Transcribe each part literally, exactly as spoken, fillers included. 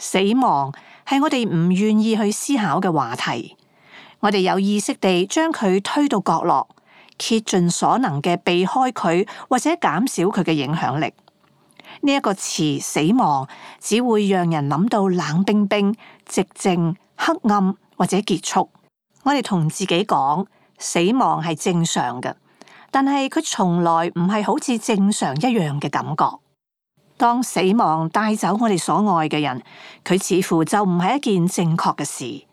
死亡係我哋唔願意去思考嘅話題，我哋有意識地將佢推到角落，竭盡所能嘅避開佢或者減少佢嘅影響力。呢、這、一個詞死亡只會讓人諗到冷冰冰、寂靜、黑暗或者結束。我哋同自己講，死亡係正常嘅，但係佢從來唔係好似正常一樣嘅感覺。當死亡帶走我哋所愛嘅人，佢似乎就唔係一件正確嘅事。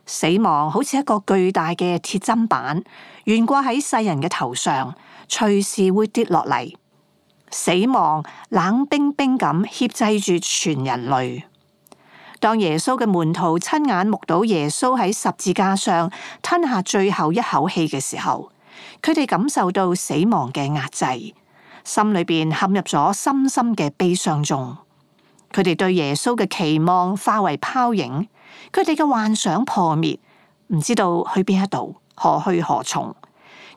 死亡好似一個巨大嘅鐵砧板，懸掛喺世人嘅頭上，隨時會跌落嚟。死亡冷冰冰咁挾制住全人類。當耶穌嘅門徒親眼目睹耶穌喺十字架上吞下最後一口氣嘅時候，佢哋感受到死亡嘅壓制，心裏邊陷入咗深深嘅悲傷中。佢哋對耶穌嘅期望化為泡影，佢哋嘅幻想破滅，唔知道去邊一度，何去何從。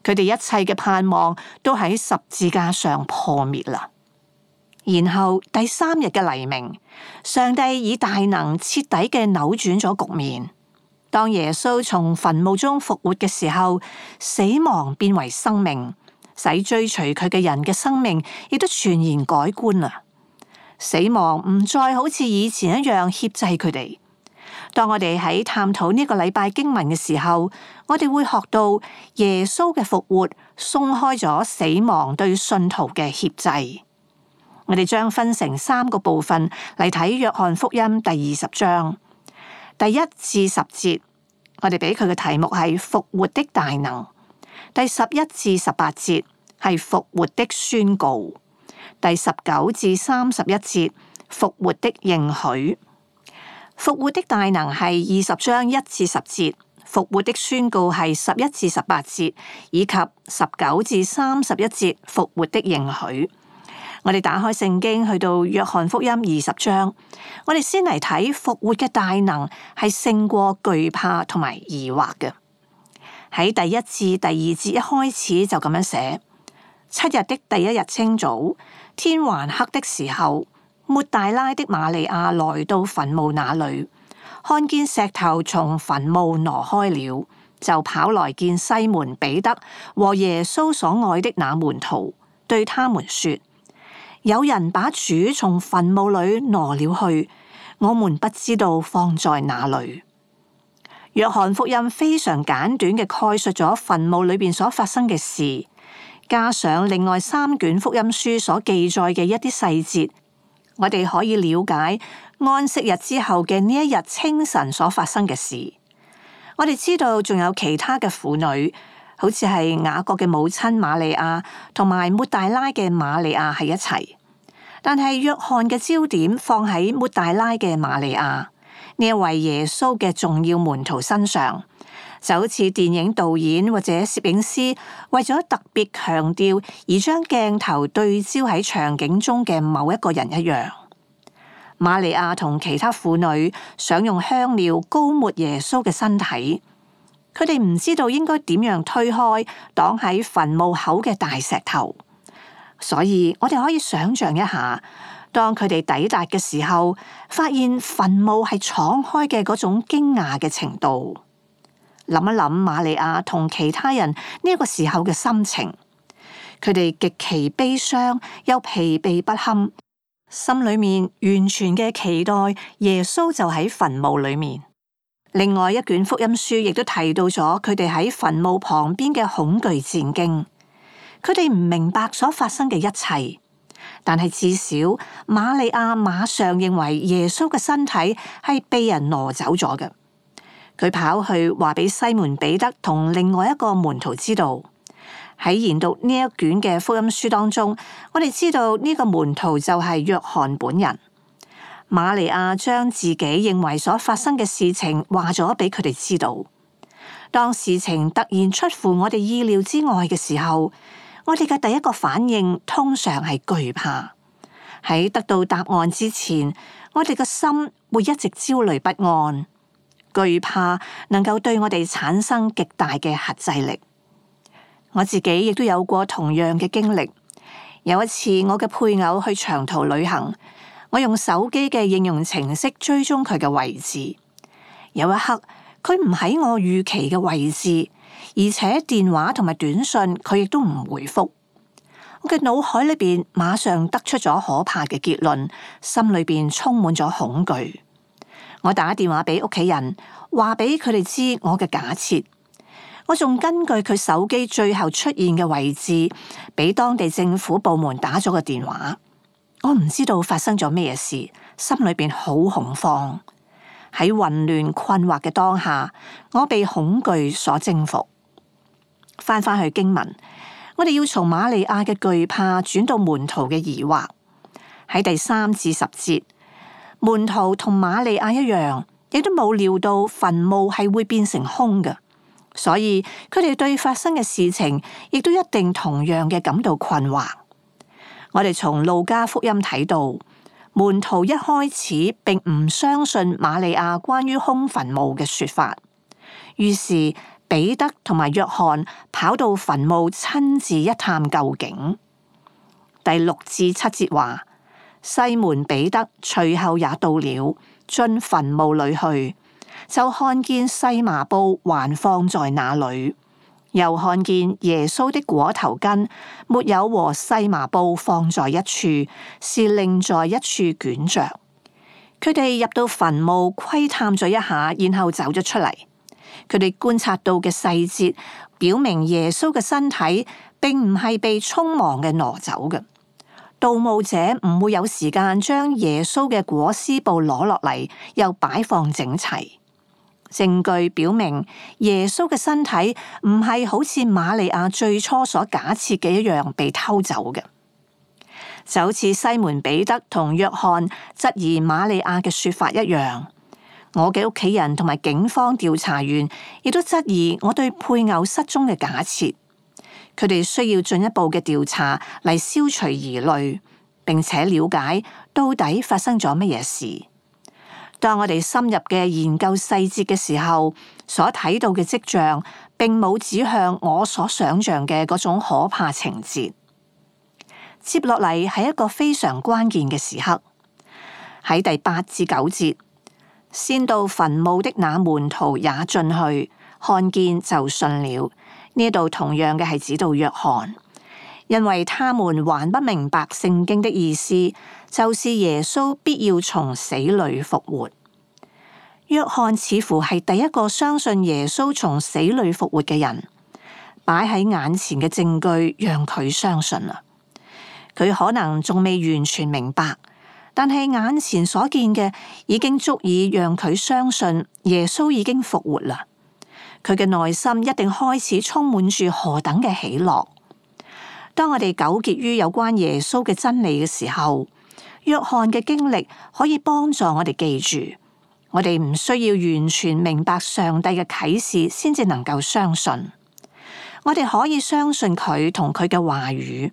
佢哋一切嘅盼望都喺十字架上破滅啦。然後第三日嘅黎明，上帝以大能徹底嘅扭轉咗局面。當耶穌從墳墓中復活嘅時候，死亡變為生命，使追隨佢嘅人嘅生命亦都全然改觀啦。死亡唔再好似以前一樣挾制佢哋。當我哋喺探討呢個禮拜經文嘅時候，我哋會學到耶穌嘅復活鬆開咗死亡對信徒嘅挾制。我哋將分成三個部分嚟睇約翰福音第二十章第一至十節，我哋俾佢嘅題目係復活的大能；第十一至十八節係復活的宣告；第十九至三十一節復活的應許。復活的大能係二十章一至十節，復活的宣告係十一至十八節，以及十九至三十一節復活的應許。我哋打開聖經去到約翰福音二十章，我哋先嚟睇復活嘅大能係勝過懼怕同埋疑惑嘅。喺第一至第二節一開始就咁樣寫：七日的第一日清早，天還黑的時候，抹大拉的瑪利亞來到墳墓那裡，看見石頭從墳墓挪開了，就跑來見西門彼得和耶穌所愛的那門徒，對他們說：有人把主從墳墓裡挪了去，我們不知道放在哪裡。約翰福音非常簡短嘅概述咗墳墓裏邊所發生嘅事，加上另外三卷福音書所記載嘅一啲細節，我哋可以了解安息日之後嘅呢一日清晨所發生嘅事。我哋知道仲有其他嘅婦女，好似係雅各嘅母親瑪利亞同埋抹大拉嘅瑪利亞喺一齊，但係約翰嘅焦點放喺抹大拉嘅瑪利亞呢一位耶穌嘅重要門徒身上，就好似電影導演或者攝影師為咗特別強調而將鏡頭對焦喺場景中嘅某一個人一樣。瑪利亞同其他婦女想用香料膏抹耶穌嘅身體，佢哋唔知道應該點樣推開擋喺墳墓口嘅大石頭，所以我哋可以想象一下，當佢哋抵達嘅時候，發現墳墓係敞開嘅嗰種驚訝嘅程度。諗一諗瑪利亞同其他人呢一個時候嘅心情，佢哋極其悲傷又疲憊不堪，心裏面完全嘅期待耶穌就喺墳墓裏面。另外一卷福音書亦都提到咗佢哋喺墳墓旁邊嘅恐懼戰驚，佢哋唔明白所發生嘅一切，但係至少瑪利亞馬上認為耶穌嘅身體係被人挪走咗嘅。佢跑去話俾西門彼得同另外一個門徒知道。喺研讀呢一卷嘅福音書當中，我哋知道呢個門徒就係約翰本人。瑪利亞將自己認為所發生嘅事情話咗俾佢哋知道。當事情突然出乎我哋意料之外嘅時候，我哋嘅第一個反應通常係懼怕。喺得到答案之前，我哋嘅心會一直焦慮不安。懼怕能夠對我哋產生極大嘅轄制力。我自己亦都有過同樣嘅經歷。有一次，我嘅配偶去長途旅行，我用手機嘅應用程式追蹤佢嘅位置，有一刻佢唔喺我預期嘅位置，而且電話同埋短信佢亦都唔回覆。我嘅腦海裏邊馬上得出咗可怕嘅結論，心裏邊充滿咗恐懼。我打電話俾屋企人，話俾佢哋知我嘅假設。我仲根據佢手機最後出現嘅位置，俾當地政府部門打咗個電話。我唔知道發生咗咩事，心裏邊好恐慌。喺混亂困惑嘅當下，我被恐懼所征服。翻返去經文，我哋要從瑪利亞嘅懼怕轉到門徒嘅疑惑。喺第三至十節，門徒同瑪利亞一樣，亦都冇料到墳墓係會變成空嘅，所以佢哋對發生嘅事情亦都一定同樣嘅感到困惑。我哋從路加福音睇到，門徒一開始並唔相信瑪利亞關於空墳墓嘅說法，於是彼得同埋約翰跑到墳墓親自一探究竟。第六至七節話，西門彼得隨後也到了，進墳墓裏去，就看見細麻布還放在那裏。又看見耶穌的裹頭巾沒有和細麻布放在一處，是另在一處捲着。佢哋入到墳墓窺探咗一下，然後走咗出嚟。佢哋觀察到嘅細節，表明耶穌嘅身體並唔係被匆忙嘅挪走嘅。盜墓者唔會有時間將耶穌嘅裹屍布攞落嚟，又擺放整齊。證據表明耶穌嘅身體唔係好似瑪利亞最初所假設嘅一樣被偷走嘅，就好似西門彼得同約翰質疑瑪利亞嘅說法一樣。我嘅屋企人同埋警方調查員亦都質疑我對配偶失蹤嘅假設。佢哋需要進一步嘅調查嚟消除疑慮，並且了解到底發生咗乜嘢事。當我哋深入嘅研究細節嘅時候，所睇到嘅跡象，並冇指向我所想象嘅嗰種可怕情節。接落嚟係一個非常關鍵嘅時刻，喺第八至九節，先到墳墓的那門徒也進去，看見就信了。呢度同樣嘅係指到約翰，因為他們還不明白聖經的意思，就是耶穌必要從死裏復活。約翰似乎係第一個相信耶穌從死裏復活嘅人，擺喺眼前嘅證據讓佢相信啦。佢可能仲未完全明白，但係眼前所見嘅已經足以讓佢相信耶穌已經復活啦。佢嘅內心一定開始充滿住何等嘅喜樂。當我哋糾結於有關耶穌嘅真理嘅時候，約翰嘅經歷可以幫助我哋記住，我哋唔需要完全明白上帝嘅啟示先至能夠相信。我哋可以相信佢同佢嘅話語，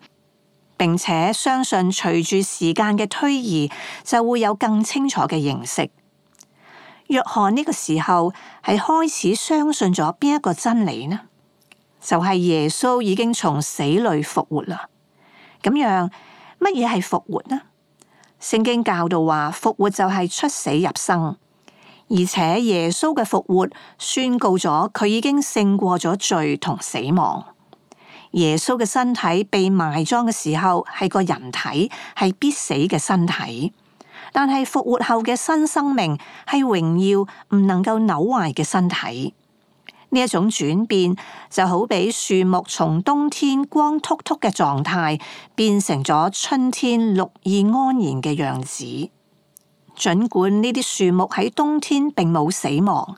並且相信隨住時間嘅推移，就會有更清楚嘅認識。約翰呢個時候係開始相信咗邊一個真理呢？就係耶穌已經從死裏復活啦。咁樣乜嘢係復活呢？聖經教導話復活就係出死入生，而且耶穌嘅復活宣告咗佢已經勝過咗罪同死亡。耶穌嘅身體被埋葬嘅時候係個人體，係必死嘅身體。但係復活後嘅新生命係榮耀唔能夠朽壞嘅身體。呢一種轉變就好比樹木從冬天光禿禿嘅狀態變成咗春天綠意安然嘅樣子。儘管呢啲樹木喺冬天並冇死亡，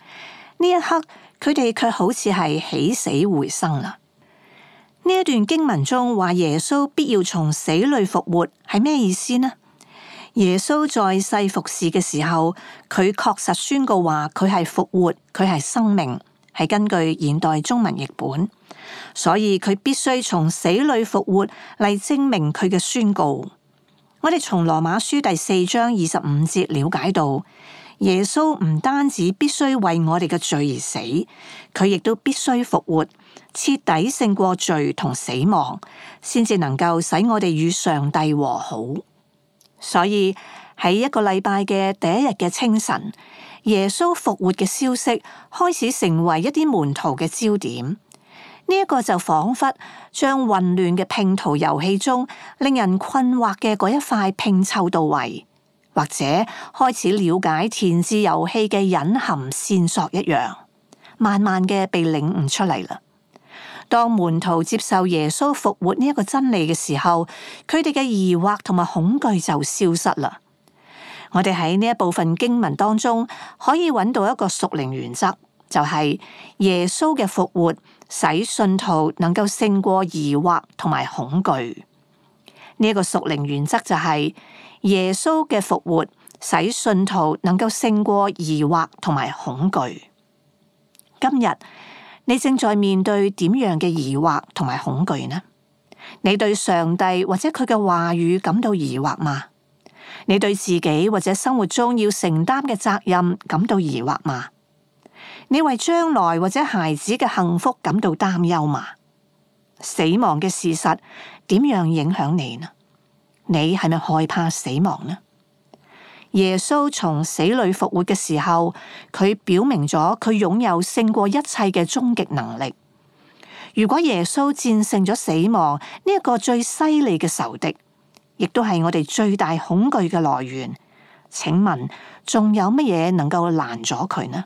呢一刻佢哋卻好似係起死回生啦。呢一段經文中話耶穌必要從死裏復活係咩意思呢？耶穌在世服侍嘅時候，佢確實宣告話佢係復活，佢係生命，係根據現代中文譯本，所以佢必須從死裏復活嚟證明佢嘅宣告。我哋從羅馬書第四章二十五節了解到，耶穌唔單止必須為我哋嘅罪而死，佢亦都必須復活，徹底勝過罪同死亡，先至能夠使我哋與上帝和好。所以喺一個禮拜嘅第一日嘅清晨，耶穌復活嘅消息開始成為一啲門徒嘅焦點。呢、這、一個就仿佛將混亂嘅拼圖遊戲中令人困惑嘅嗰一塊拼湊到位，或者開始了解填字遊戲嘅隱含線索一樣，慢慢嘅被領悟出嚟啦。當門徒接受耶穌復活呢一個真理嘅時候，佢哋嘅疑惑同埋恐懼就消失啦。我哋喺呢一部分經文當中可以揾到一個屬靈原則，就係耶穌嘅復活使信徒能夠勝過疑惑同埋恐懼。呢一個屬靈原則就係耶穌嘅復活使信徒能夠勝過疑惑同埋恐懼。今日你正在面對點樣嘅疑惑同埋恐懼呢？你對上帝或者佢嘅話語感到疑惑嗎？你對自己或者生活中要承擔嘅責任感到疑惑嗎？你為將來或者孩子嘅幸福感到擔憂嗎？死亡嘅事實點樣影響你呢？你係咪害怕死亡呢？耶穌從死裏復活嘅時候，佢表明咗佢擁有勝過一切嘅終極能力。如果耶穌戰勝咗死亡呢一個最犀利嘅仇敵，亦都係我哋最大恐懼嘅來源，請問仲有乜嘢能夠攔咗佢呢？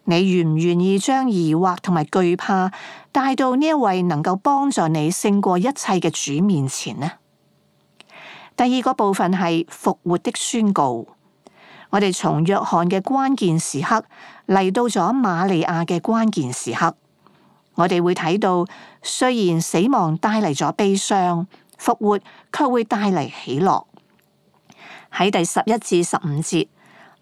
你願唔願意將疑惑同埋懼怕帶到呢一位能夠幫助你勝過一切嘅主面前呢？第二個部分係復活的宣告。我哋從約翰嘅關鍵時刻嚟到咗瑪利亞嘅關鍵時刻，我哋會睇到，雖然死亡帶嚟咗悲傷，復活卻會帶嚟喜樂。喺第十一至十五節，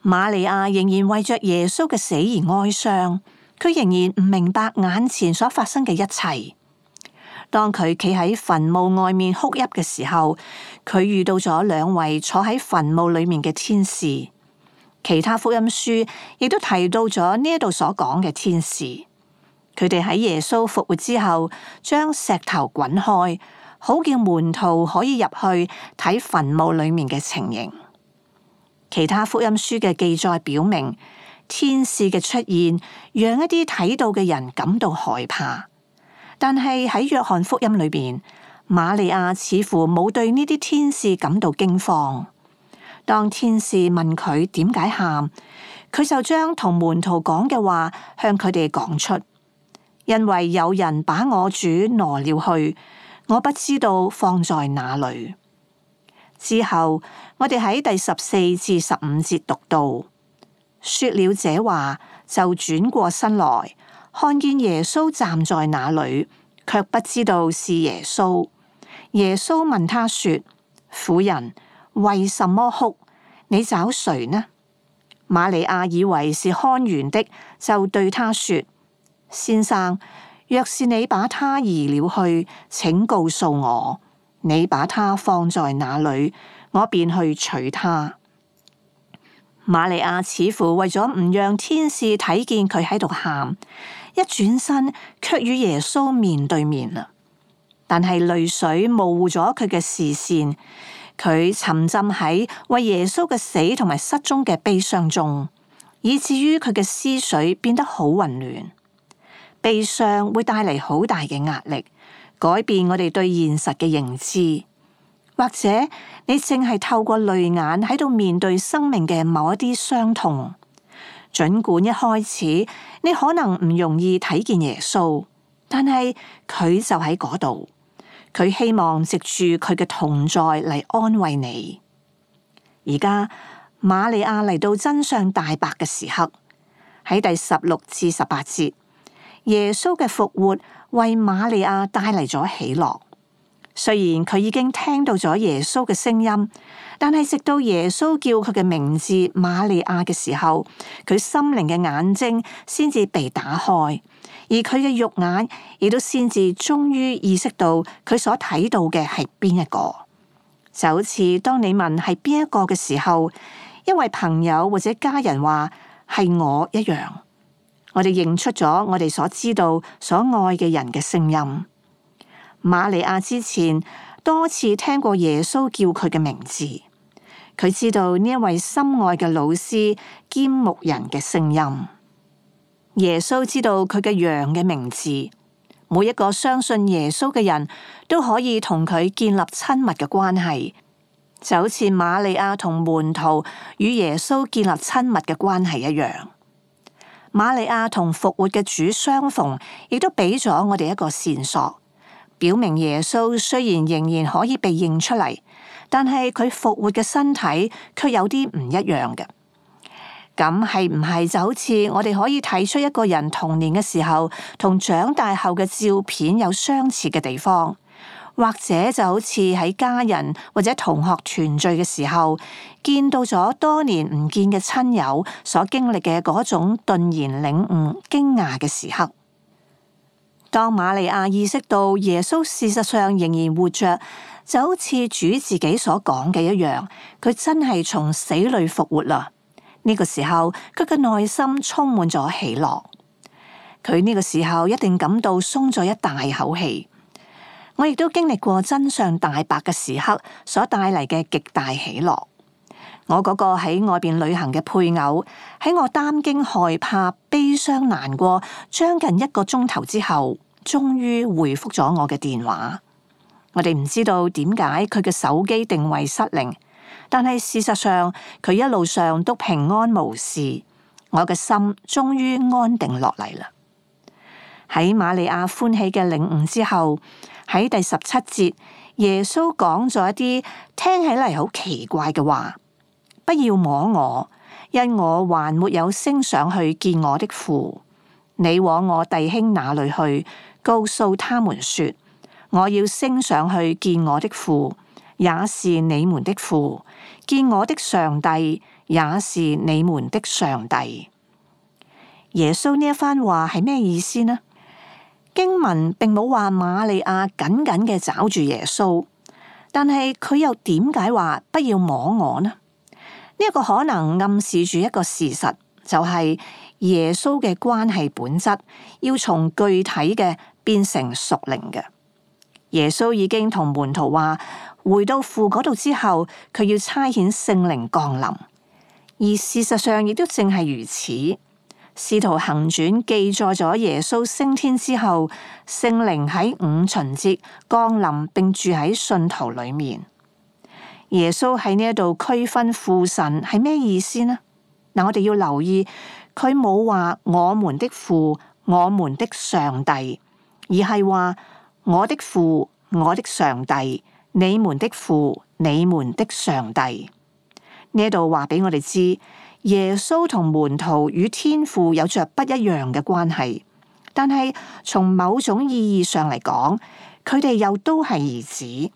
瑪利亞仍然為着耶穌嘅死而哀傷，佢仍然唔明白眼前所發生嘅一切。當佢企喺墳墓外面哭泣嘅時候，佢遇到咗兩位坐喺墳墓裏面嘅天使。其他福音書亦都提到咗呢一度所講嘅天使，佢哋喺耶穌復活之後，將石頭滾開，好叫門徒可以入去睇墳墓裏面嘅情形。其他福音書嘅記載表明，天使嘅出現讓一啲睇到嘅人感到害怕。但係喺約翰福音裏邊，瑪利亞似乎冇對呢啲天使感到驚慌。當天使問佢點解喊，佢就將同門徒講嘅話向佢哋講出，因為有人把我主挪了去，我不知道放在哪裏。之後我哋喺第十四至十五節讀到，說了這話就轉過身來，看見耶穌站在那裏，卻不知道是耶穌。耶穌問他說：婦人，為什麼哭？你找誰呢？瑪利亞以為是看園的，就對他說：先生，若是你把他移了去，請告訴我，你把他放在哪裏，我便去取他。瑪利亞似乎為咗唔讓天使睇見佢喺度喊，一轉身卻與耶穌面對面啦。但係淚水模糊咗佢嘅視線，佢沉浸喺為耶穌嘅死同埋失蹤嘅悲傷中，以至於佢嘅思緒變得好混亂。悲傷會帶嚟好大嘅壓力，改變我哋對現實嘅認知。或者你正係透過淚眼喺度面對生命嘅某一啲傷痛，儘管一開始你可能唔容易睇見耶穌，但係佢就喺嗰度。佢希望藉住佢嘅同在嚟安慰你。而家瑪利亞嚟到真相大白嘅時刻，喺第十六至十八節，耶穌嘅復活為瑪利亞帶嚟咗喜樂。雖然佢已經聽到咗耶穌嘅聲音，但係直到耶穌叫佢嘅名字瑪利亞嘅時候，佢心靈嘅眼睛先至被打開。而佢嘅肉眼亦都先至終於意識到佢所睇到嘅係邊一個，就好似當你問係邊一個嘅時候，因為朋友或者家人話係我一樣，我哋認出咗我哋所知道、所愛嘅人嘅聲音。瑪利亞之前多次聽過耶穌叫佢嘅名字，佢知道呢一位心愛嘅老師兼牧人嘅聲音。耶穌知道佢嘅羊嘅名字，每一個相信耶穌嘅人都可以同佢建立親密嘅關係，就好似瑪利亞同門徒與耶穌建立親密嘅關係一樣。瑪利亞同復活嘅主相逢，亦都俾咗我哋一個線索，表明耶穌雖然仍然可以被認出嚟，但係佢復活嘅身體卻有啲唔一樣嘅。咁係唔係就好似我哋可以睇出一個人童年嘅時候同長大後嘅照片有相似嘅地方，或者就好似喺家人或者同學團聚嘅時候，見到咗多年唔見嘅親友所經歷嘅嗰種頓然領悟、驚訝嘅時刻。當瑪利亞意識到耶穌事實上仍然活着，就好似主自己所講嘅一樣，佢真係從死裏復活啦。呢個時候，佢嘅內心充滿咗喜樂。佢呢個時候一定感到鬆咗一大口氣。我亦都經歷過真相大白嘅時刻所帶嚟嘅極大喜樂。我嗰個喺外邊旅行嘅配偶，喺我擔驚害怕、悲傷難過將近一個鐘頭之後，終於回覆咗我嘅電話。我哋唔知道點解佢嘅手機定位失靈，但係事實上佢一路上都平安無事。我嘅心終於安定落嚟啦。喺瑪利亞歡喜嘅領悟之後，喺第十七節，耶穌講咗一啲聽起嚟好奇怪嘅話：不要摸我，因我還沒有升上去見我的父。你往我弟兄那裏去，告訴他們說，我要升上去見我的父，也是你們的父；見我的上帝，也是你們的上帝。耶穌呢一番話係咩意思呢？經文並冇話瑪利亞緊緊嘅抓住耶穌，但係佢又點解話不要摸我呢？呢一個可能暗示住一個事實，就係耶穌嘅關係本質要從具體嘅變成屬靈嘅。耶穌已經同門徒話，回到父嗰度之後，佢要差遣聖靈降臨，而事實上亦都正係如此。使徒行傳記載咗耶穌升天之後，聖靈喺五旬節降臨並住喺信徒裏面。耶穌喺呢一度區分父神係咩意思呢？嗱，我哋要留意，佢冇話我們的父、我們的上帝，而係話我的父、我的上帝、你們的父、你們的上帝。呢一度話俾我哋知，耶穌同門徒與天父有着不一樣嘅關係，但係從某種意義上嚟講，佢哋又都係兒子，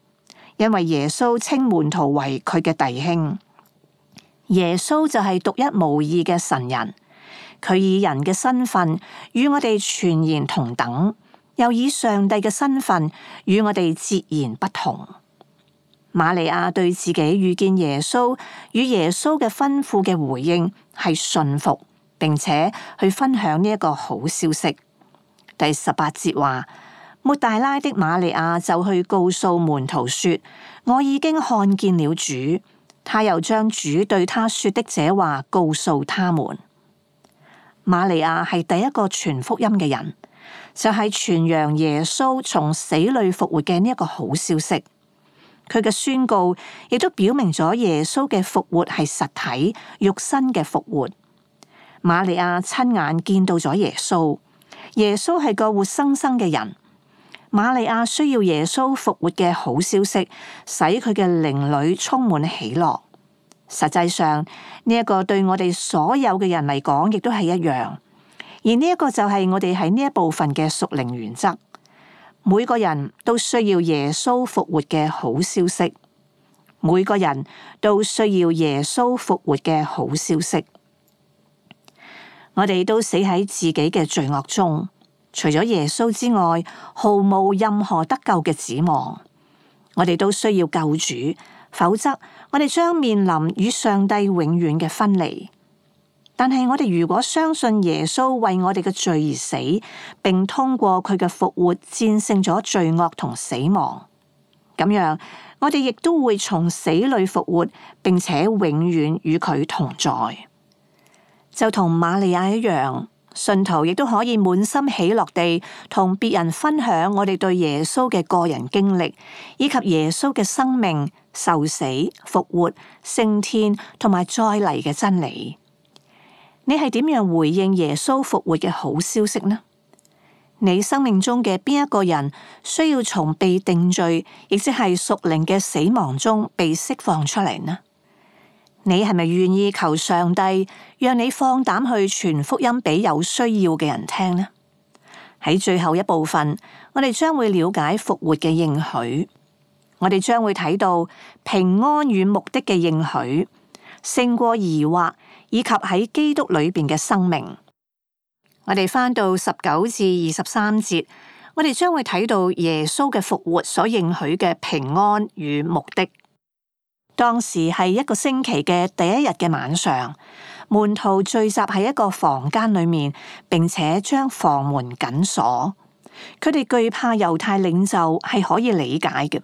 因為耶穌稱門徒為佢嘅弟兄。耶穌就係獨一無二嘅神人，佢以人嘅身份與我哋全然同等，又以上帝嘅身份與我哋截然不同。瑪利亞對自己遇見耶穌與耶穌嘅吩咐嘅回應係信服，並且去分享呢一個好消息。第十八節話，抹大拉的瑪利亞就去告訴門徒說，我已經看見了主。他又將主對他說的這話告訴他們。瑪利亞係第一個傳福音嘅人，就係傳揚耶穌從死裏復活嘅呢一個好消息。佢嘅宣告亦都表明咗耶穌嘅復活係實體肉身嘅復活。瑪利亞親眼見到咗耶穌，耶穌係個活生生嘅人。瑪利亞需要耶穌復活嘅好消息，使佢嘅靈裏充滿喜樂。實際上呢一個對我哋所有嘅人嚟講，亦都係一樣。而呢一個就係我哋喺呢一部分嘅屬靈原則。每個人都需要耶穌復活嘅好消息，每個人都需要耶穌復活嘅好消息。我哋都死喺自己嘅罪惡中，除咗耶穌之外，毫無任何得救嘅指望。我哋都需要救主，否則我哋將面臨與上帝永遠嘅分離。但係我哋如果相信耶穌為我哋嘅罪而死，並通過佢嘅復活戰勝咗罪惡同死亡，咁樣我哋亦都會從死裏復活，並且永遠與佢同在。就同瑪利亞一樣，信徒亦都可以滿心喜樂地同別人分享我哋對耶穌嘅個人經歷，以及耶穌嘅生命、受死、復活、升天同埋再嚟嘅真理。你係點樣回應耶穌復活嘅好消息呢？你生命中嘅邊一個人需要從被定罪，亦即係屬靈嘅死亡中被釋放出嚟呢？你係咪願意求上帝讓你放膽去傳福音俾有需要嘅人聽呢？喺最後一部分，我哋將會了解復活嘅應許，我哋將會睇到平安與目的嘅應許，勝過疑惑，以及喺基督裏邊嘅生命。我哋翻到十九至二十三節，我哋將會睇到耶穌嘅復活所應許嘅平安與目的。當時係一個星期嘅第一日嘅晚上，門徒聚集喺一個房間裏面，並且將房門緊鎖。佢哋懼怕猶太領袖，係可以理解嘅。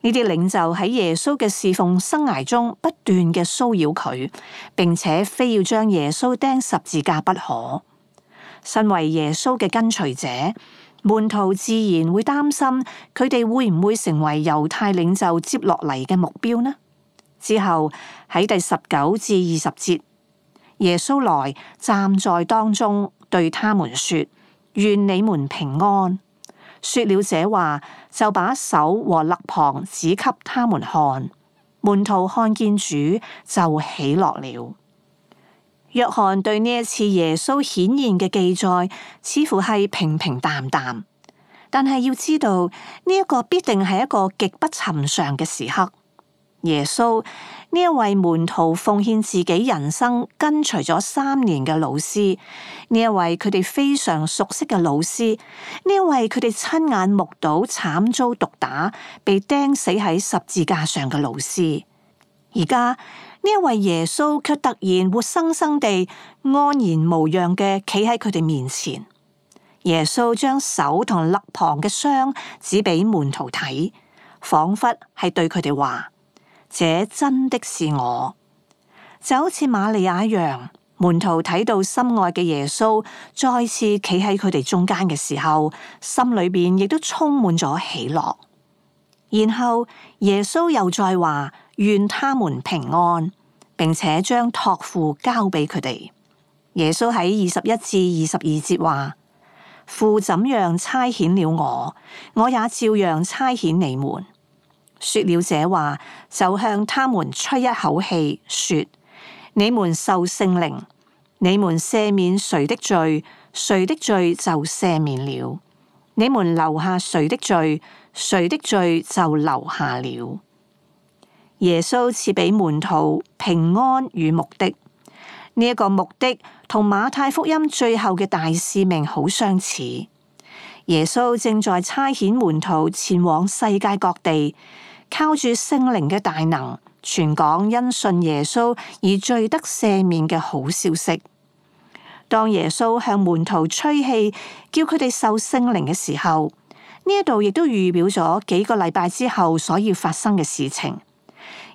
呢啲領袖喺耶穌嘅侍奉生涯中不斷嘅騷擾佢，並且非要將耶穌釘十字架不可。身為耶穌嘅跟隨者，門徒自然會擔心佢哋會唔會成為猶太領袖接落嚟嘅目標呢？之後喺第十九至二十節，耶穌來站在當中，對他們說：願你們平安。說了這話，就把手和肋旁指給他們看。門徒看見主，就喜樂了。約翰對呢一次耶穌顯現嘅記載，似乎係平平淡淡，但係要知道呢一個必定係一個極不尋常嘅時刻。耶穌呢一位門徒奉獻自己人生跟隨咗三年嘅老師，呢一位佢哋非常熟悉嘅老師，呢一位佢哋親眼目睹慘遭毒打、被釘死喺十字架上嘅老師，而家呢一位耶穌卻突然活生生地安然無恙嘅企喺佢哋面前。耶穌將手同肋旁嘅傷指俾門徒睇，仿佛係對佢哋話：這真的是我。就好似瑪利亞一樣，門徒睇到心愛嘅耶穌再次企喺佢哋中間嘅時候，心裏邊亦都充滿咗喜樂。然後耶穌又再話：願他們平安，並且將託付交俾佢哋。耶穌喺二十一至二十二節話：父怎樣差遣了我，我也照樣差遣你們。說了這話，就向他們吹一口氣，說：你們受聖靈，你們赦免誰的罪，誰的罪就赦免了；你們留下誰的罪，誰的罪就留下了。耶穌賜俾門徒平安與目的，呢、這、一個目的同馬太福音最後嘅大使命好相似。耶穌正在差遣門徒前往世界各地，靠住聖靈嘅大能，傳講因信耶穌而罪得赦免嘅好消息。當耶穌向門徒吹氣，叫佢哋受聖靈嘅時候，呢一度亦都預表咗幾個禮拜之後所要發生嘅事情。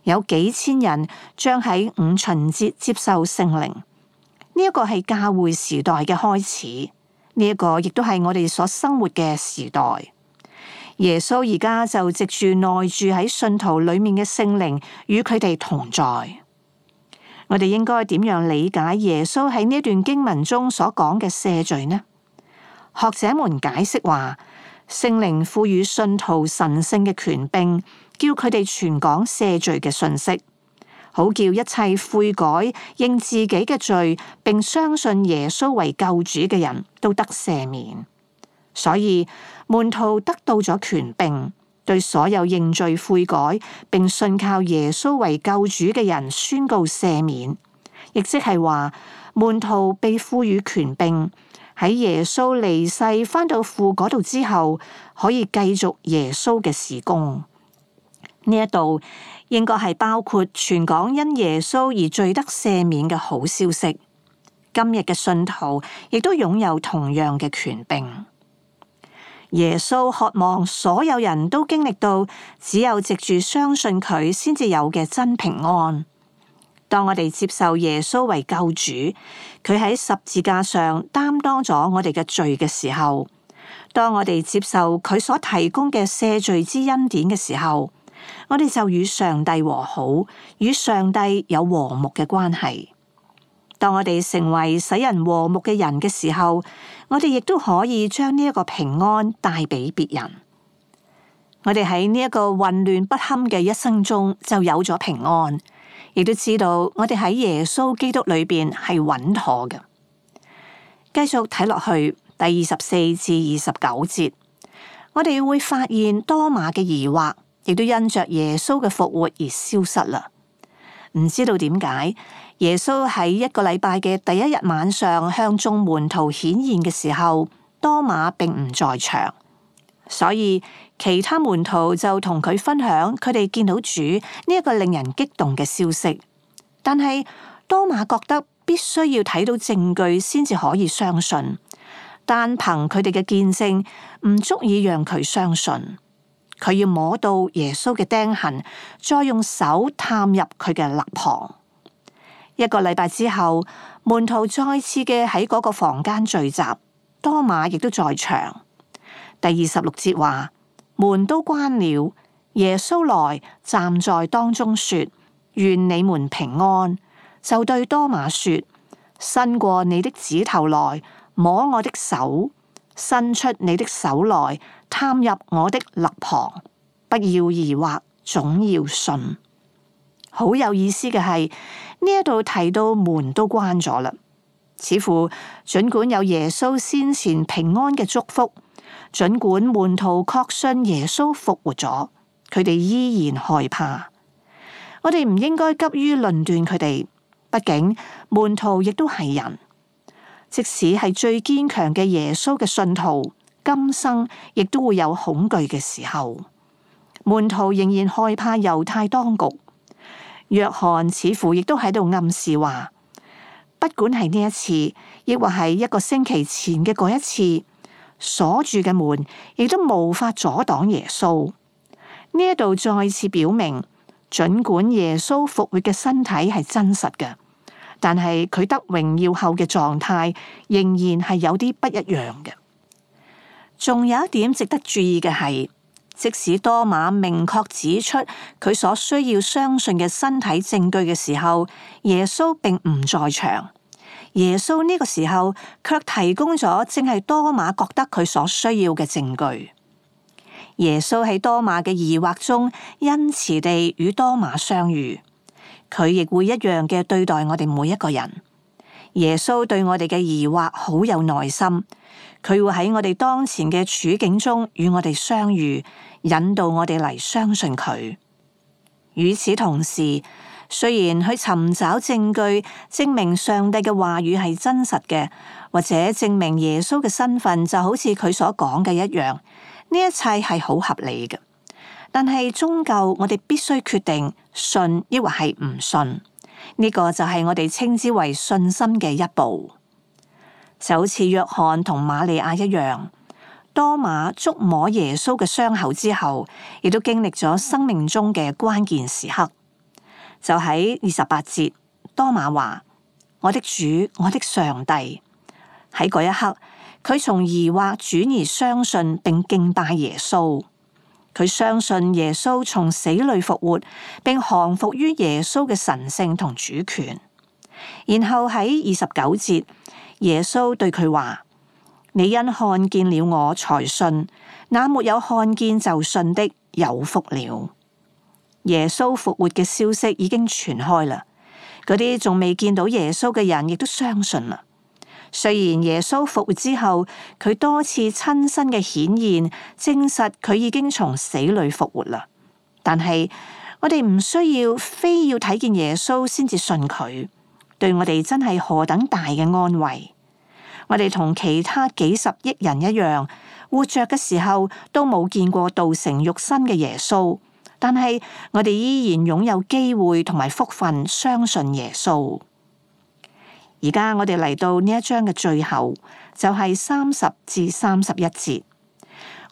有幾千人將喺五旬節接受聖靈，呢、這、一個係教會時代嘅開始，呢、這、一個亦都係我哋所生活嘅時代。耶穌而家就藉住內住喺信徒裏面嘅聖靈，與佢哋同在。我哋應該點樣理解耶穌喺呢段經文中所講嘅赦罪呢？學者們解釋話，聖靈賦予信徒神聖嘅權柄，叫佢哋傳講赦罪嘅訊息，好叫一切悔改、認自己嘅罪，並相信耶穌為救主嘅人都得赦免。所以門徒得到咗權柄，對所有認罪悔改並信靠耶穌為救主嘅人宣告赦免，亦即係話門徒被賦予權柄，喺耶穌離世返到父嗰度之後，可以繼續耶穌嘅事工。呢一度應該係包括傳講因耶穌而罪得赦免嘅好消息。今日嘅信徒亦都擁有同樣嘅權柄。耶穌渴望所有人都經歷到只有藉住相信佢先至有嘅真平安。當我哋接受耶穌為救主，佢喺十字架上擔當咗我哋嘅罪嘅時候，當我哋接受佢所提供嘅赦罪之恩典嘅時候，我哋就與上帝和好，與上帝有和睦嘅關係。當我哋成為使人和睦嘅人嘅時候，我哋亦都可以將呢一個平安帶俾別人。我哋喺呢一個混亂不堪嘅一生中就有咗平安，亦都知道我哋喺耶穌基督裏邊係穩妥嘅。繼續睇落去第二十四至二十九節，我哋會發現多馬嘅疑惑，亦都因着耶穌嘅復活而消失啦。唔知道點解耶穌喺一個禮拜嘅第一日晚上向眾門徒顯現嘅時候，多馬並唔在場，所以其他門徒就同佢分享佢哋見到主呢一個令人激動嘅消息。但係多馬覺得必須要睇到證據先至可以相信，單憑佢哋嘅見證唔足以讓佢相信。佢要摸到耶穌嘅釘痕，再用手探入佢嘅肋旁。一個禮拜之後，門徒再次嘅喺嗰個房間聚集，多馬亦都在場。第二十六節話，門都關了，耶穌來站在當中說，願你們平安。就對多馬說，伸過你的指頭來摸我的手，伸出你的手來探入我的肋旁，不要疑惑，總要信。好有意思嘅係，呢一度提到門都關咗啦，似乎儘管有耶穌先前平安嘅祝福，儘管門徒確信耶穌復活咗，佢哋依然害怕。我哋唔應該急於論斷佢哋，畢竟門徒亦都係人，即使係最堅強嘅耶穌嘅信徒，今生亦都會有恐懼嘅時候。門徒仍然害怕猶太當局。約翰似乎亦都喺度暗示話，不管係呢一次，亦或係一個星期前嘅嗰一次，鎖住嘅門亦都無法阻擋耶穌。呢一度再次表明，儘管耶穌復活嘅身體係真實嘅，但係佢得榮耀後嘅狀態仍然係有啲不一樣嘅。仲有一點值得注意嘅係，即使多馬明確指出佢所需要相信嘅身體證據嘅時候，耶穌並唔在場。耶穌呢個時候卻提供咗正係多馬覺得佢所需要嘅證據。耶穌喺多馬嘅疑惑中恩慈地與多馬相遇，佢亦會一樣嘅對待我哋每一個人。耶穌對我哋嘅疑惑好有耐心，佢會喺我哋當前嘅處境中與我哋相遇，引導我哋嚟相信佢。與此同時，雖然去尋找證據證明上帝嘅話語係真實嘅，或者證明耶穌嘅身份就好似佢所講嘅一樣，呢一切係好合理嘅。但係終究我哋必須決定信抑或係唔信。呢個就係我哋稱之為信心嘅一步，就好似約翰同瑪利亞一樣。多馬觸摸耶穌嘅傷口之後，亦都經歷咗生命中嘅關鍵時刻。就喺二十八節，多馬話：我的主，我的上帝。喺嗰一刻，佢從疑惑轉而相信並敬拜耶穌。佢相信耶穌從死裏復活，並降服於耶穌嘅神聖同主權。然後喺二十九節，耶穌對佢話：你因看見了我才信，那沒有看見就信的有福了。耶穌復活嘅消息已經傳開啦，嗰啲仲未見到耶穌嘅人亦都相信啦。雖然耶穌復活之後，佢多次親身嘅顯現，證實佢已經從死裏復活啦。但係我哋唔需要非要睇見耶穌先至信佢，對我哋真係何等大嘅安慰。我哋同其他幾十億人一樣，活着嘅時候都冇見過道成肉身嘅耶穌，但係我哋依然擁有機會同埋福分相信耶穌。而家我哋嚟到呢一章嘅最後，就係三十至三十一節。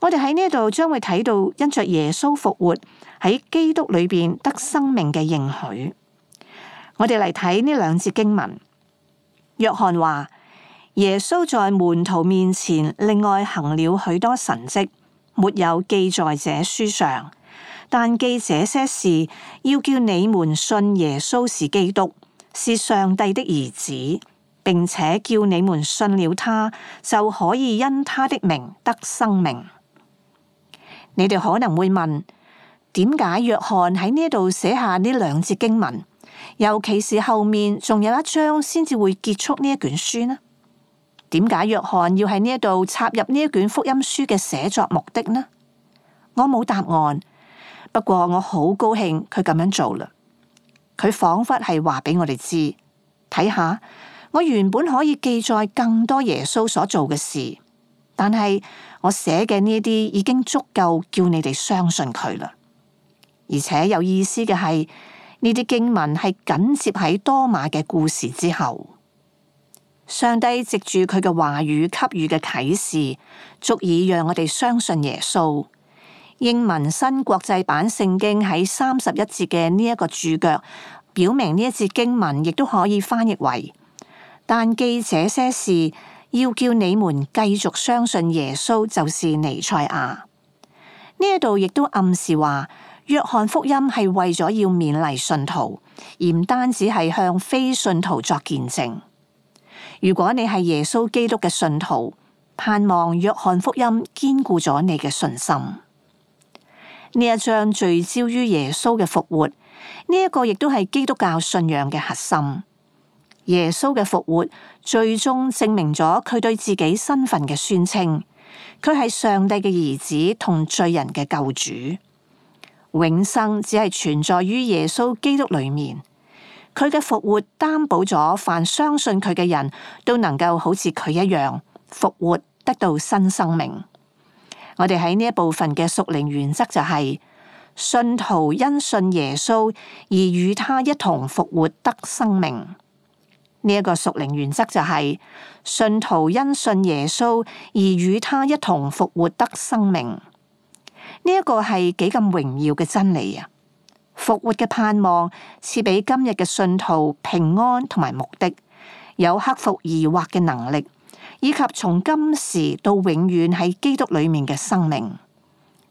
我哋喺呢度將會睇到因着耶穌復活喺基督裏邊得生命嘅應許。我哋嚟睇呢兩節經文。約翰話，耶穌在門徒面前另外行了許多神蹟，沒有記在這書上，但記這些事，要叫你們信耶穌是基督，是上帝的兒子，並且叫你們信了他，就可以因他的名得生命。你哋可能會問，點解約翰喺呢度寫下呢兩節經文，尤其是後面仲有一章先至會結束呢一卷書呢？點解約翰要喺呢一度插入呢一卷福音書嘅寫作目的呢？我冇答案，不過我好高興佢咁樣做啦。佢仿佛係話俾我哋知，睇下，我原本可以記載更多耶穌所做嘅事，但係我寫嘅呢啲已經足夠叫你哋相信佢啦。而且有意思嘅係，呢啲經文係緊接喺多馬嘅故事之後。上帝藉住佢嘅話語給予嘅啟示，足以讓我哋相信耶穌。英文新國際版聖經喺三十一節嘅呢一個注腳，表明呢一節經文亦都可以翻譯為：但記這些事，要叫你們繼續相信耶穌就是彌賽亞。呢一度亦都暗示話，約翰福音係為咗要勉勵信徒，而唔單止係向非信徒作見證。如果你係耶穌基督嘅信徒，盼望約翰福音堅固咗你嘅信心。呢一章聚焦於耶穌嘅復活，呢、這、一個亦都係基督教信仰嘅核心。耶穌嘅復活最終證明咗佢對自己身份嘅宣稱，佢係上帝嘅兒子同罪人嘅救主。永生只係存在於耶穌基督裏面，佢嘅復活擔保咗凡相信佢嘅人都能夠好似佢一樣復活，得到新生命。我哋喺呢一部分嘅屬靈原則就係、是、信徒因信耶穌而與他一同復活得生命。呢、這、一個屬靈原則就係、是、信徒因信耶穌而與他一同復活得生命。呢、這、一個係幾咁榮耀嘅真理啊！復活嘅盼望賜俾今日嘅信徒平安同埋目的，有克服疑惑嘅能力，以及從今時到永遠喺基督裏面嘅生命。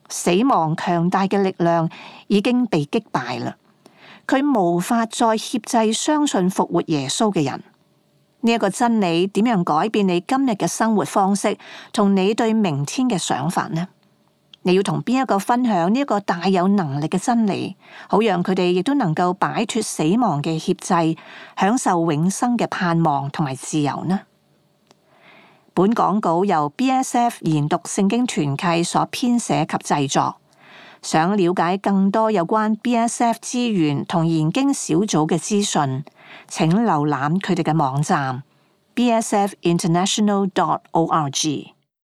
死亡強大嘅力量已經被擊敗啦，佢無法再挾制相信復活耶穌嘅人。呢、這、一個真理點樣改變你今日嘅生活方式同你對明天嘅想法呢？你要同邊一個分享呢一個大有能力嘅真理，好讓佢哋亦都能夠擺脫死亡嘅挾制，享受永生嘅盼望同埋自由呢？本講稿由 B S F 研讀聖經團契所編寫及製作。想了解更多有關 B S F 資源同研經小組嘅資訊，請瀏覽佢哋嘅網站 b s f international dot org。